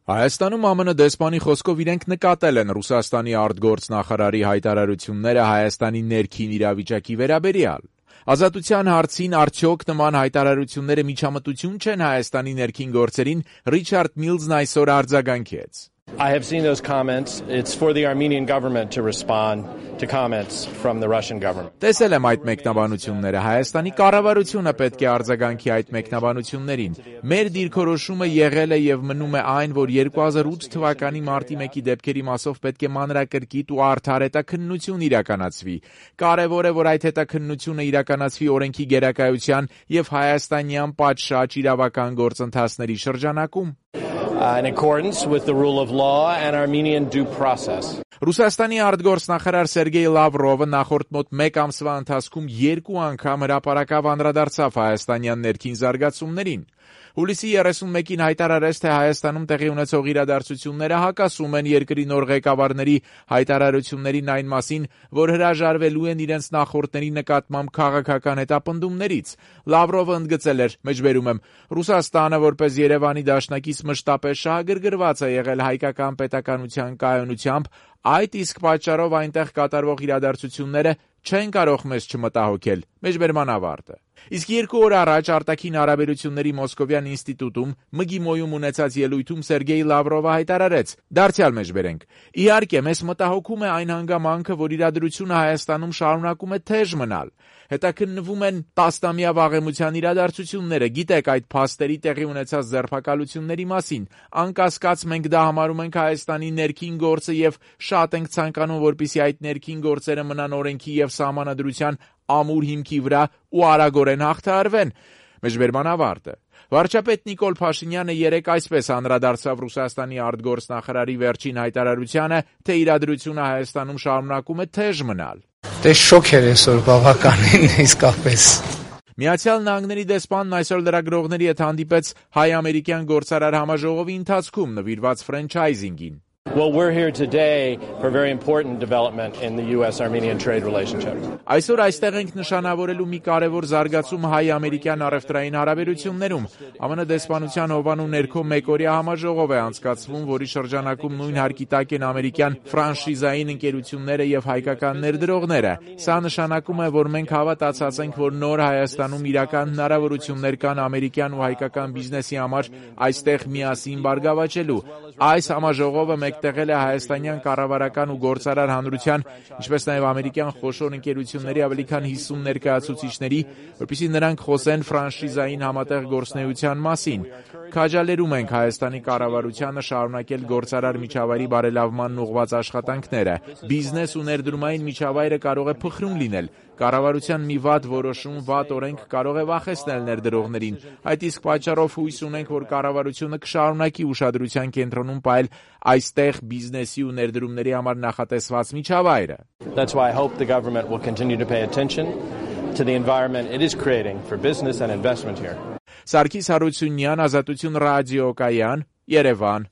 Հայաստանում ԱՄՆ դեսպանի խոսքով իրենք նկատել են Ռուսաստանի արտգործնախարարի հայտարարությունները Հայաստանի ներքին իրավիճակի վերաբերյալ։ Ազատության հարցին արդյոք նման հայտարարությունները միջամտություն չեն Հայաստանի ներքին գործերին, Ռիչարդ Միլզն այսօր արձագանքեց. I have seen those comments. It's for the Armenian government to respond to comments from the Russian government. Տեսել եմ այդ մեկնաբանությունները, Հայաստանի կառավարությունը պետք է արձագանքի այդ մեկնաբանություններին։ Մեր դիրքորոշումը եղել է եւ մնում է այն, որ 2008 թվականի մարտի 1-ի դեպքերի մասով պետք է մանրակրկիտ ու արդար հետաքննություն իրականացվի։ Կարևոր է, որ այդ հետաքննությունը իրականացվի օրենքի գերակայության եւ հայաստանյան պատշաճ իրավական գործընթացների շրջանակում։ In accordance with the rule of law and Armenian due process. Ռուսաստանի արտգործնախարար Սերգեյ Լավրովը նախորդ մոտ 1 ամսվա ընթացքում 2 անգամ հրապարակավ անդրադարձավ հայաստանյան ներքին զարգացումներին։ Հուլիսի 31-ին հայտարարեց, թե Հայաստանում տեղի ունեցող իրադարձությունները հակասում են երկրի նոր ղեկավարների հայտարարություններին այն մասին, որ հրաժարվելու են իրենց նախորդների նկատմամբ քաղաքական հետապնդումներից։ Լավրովը ընդգծել էր, մեջբերում եմ, Ռուսաստանը որպես Երևանի դաշնակից մշտապես շահագրգռված է եղել հայկական պետականության կայունությամբ, այդ իսկ պատճառով այնտեղ կատարվող իրադարձությունները չեն կարող մեզ չմտահոգել, մեջբերման ավարտը։ Իսկ 2 օր առաջ արտաքին հարաբերությունների Մոսկովյան ինստիտուտում ՄԳԻՄՈ-ում ունեցած ելույթում Սերգեյ Լավրովը հայտարարեց. Դարձյալ մեջբերենք. Իհարկե, մեզ մտահոգում է այն հանգամանքը, որ իրադրությունը Հայաստանում շարունակում է թեժ մնալ։ Հետաքննվում են տասնամյա վաղեմության իրադարձությունները, գիտեք այդ փաստերի տեղի ունեցած ձերբակալությունների մասին։ Անկասկած մենք դա համարում ենք Հայաստանի ներքին գործը եւ շատ ենք ցանկանում, որպեսզի այդ ներքին գործերը մնան օրենքի եւ սահմանադրության ամուր հիմքի վրա ու արագորեն հաղթահարվեն։ Մեջբերման ավարտը։ Վարչապետ Նիկոլ Փաշինյանը երեկ այսպես անդրադարձավ Ռուսաստանի արտգործնախարարի վերջին հայտարարությանը, թե իրադրությունը Հայաստանում շարունակում է թեժ մնալ։ Դե շոկ էր այսօր բավականին իսկապես։ Միացյալ Նահանգների դեսպանն այսօր լրագրողների հետ հանդիպեց հայ-ամերիկյան գործարար համաժողովի ընթացքում նվիրված ֆրանչայզինգին։ Well, we're here today for a very important development in the US-Armenian trade relationship. Այսօր այստեղ ենք նշանավորելու մի կարևոր զարգացում հայ-ամերիկյան առևտրային հարաբերություններում։ ԱՄՆ դեսպանության հովանու ներքո մեկօրյա համաժողով է անցկացվում, որի շրջանակում նույն հարկի տակ են ամերիկյան ֆրանշիզային ընկերությունները եւ հայկական ներդրողները։ Սա նշանակում է, որ մենք հավատացած ենք, որ նոր Հայաստանում իրական հնարավորություններ կան ամերիկյան ու հայկական բիզնեսի համար այստեղ միասին բարգավաճելու։ Այս համաժողովը մեկտեղել է հայաստանյան կառավարական ու գործարար հանրության, ինչպես նաև ամերիկյան խոշոր ընկերությունների ավելի քան 50 ներկայացուցիչների, որպեսզի նրանք խոսեն ֆրանշիզային համատեղ գործունեության մասին։ Քաջալերում ենք Հայաստանի կառավարությանը շարունակել գործարար միջավայրի բարելավմանն ուղղված աշխատանքները։ Բիզնես ու ներդրումային միջավայրը կարող է փխրուն լինել։ Կառավարության մի վատ որոշում, վատ օրենք կարող է վախեցնել ներդրողներին։ Այդ իսկ պատճառով հույս ունենք, որ կառավարությունը կշարունակի ուշադրության կենտրոնում պահել այստեղ բիզնեսի ու ներդրումների համար նախատեսված միջավայրը։ That's why I hope the government will continue to pay attention to the environment it is creating for business and investment here. Սարգիս Հարությունյան, Ազատություն ռադիոկայան, Երևան։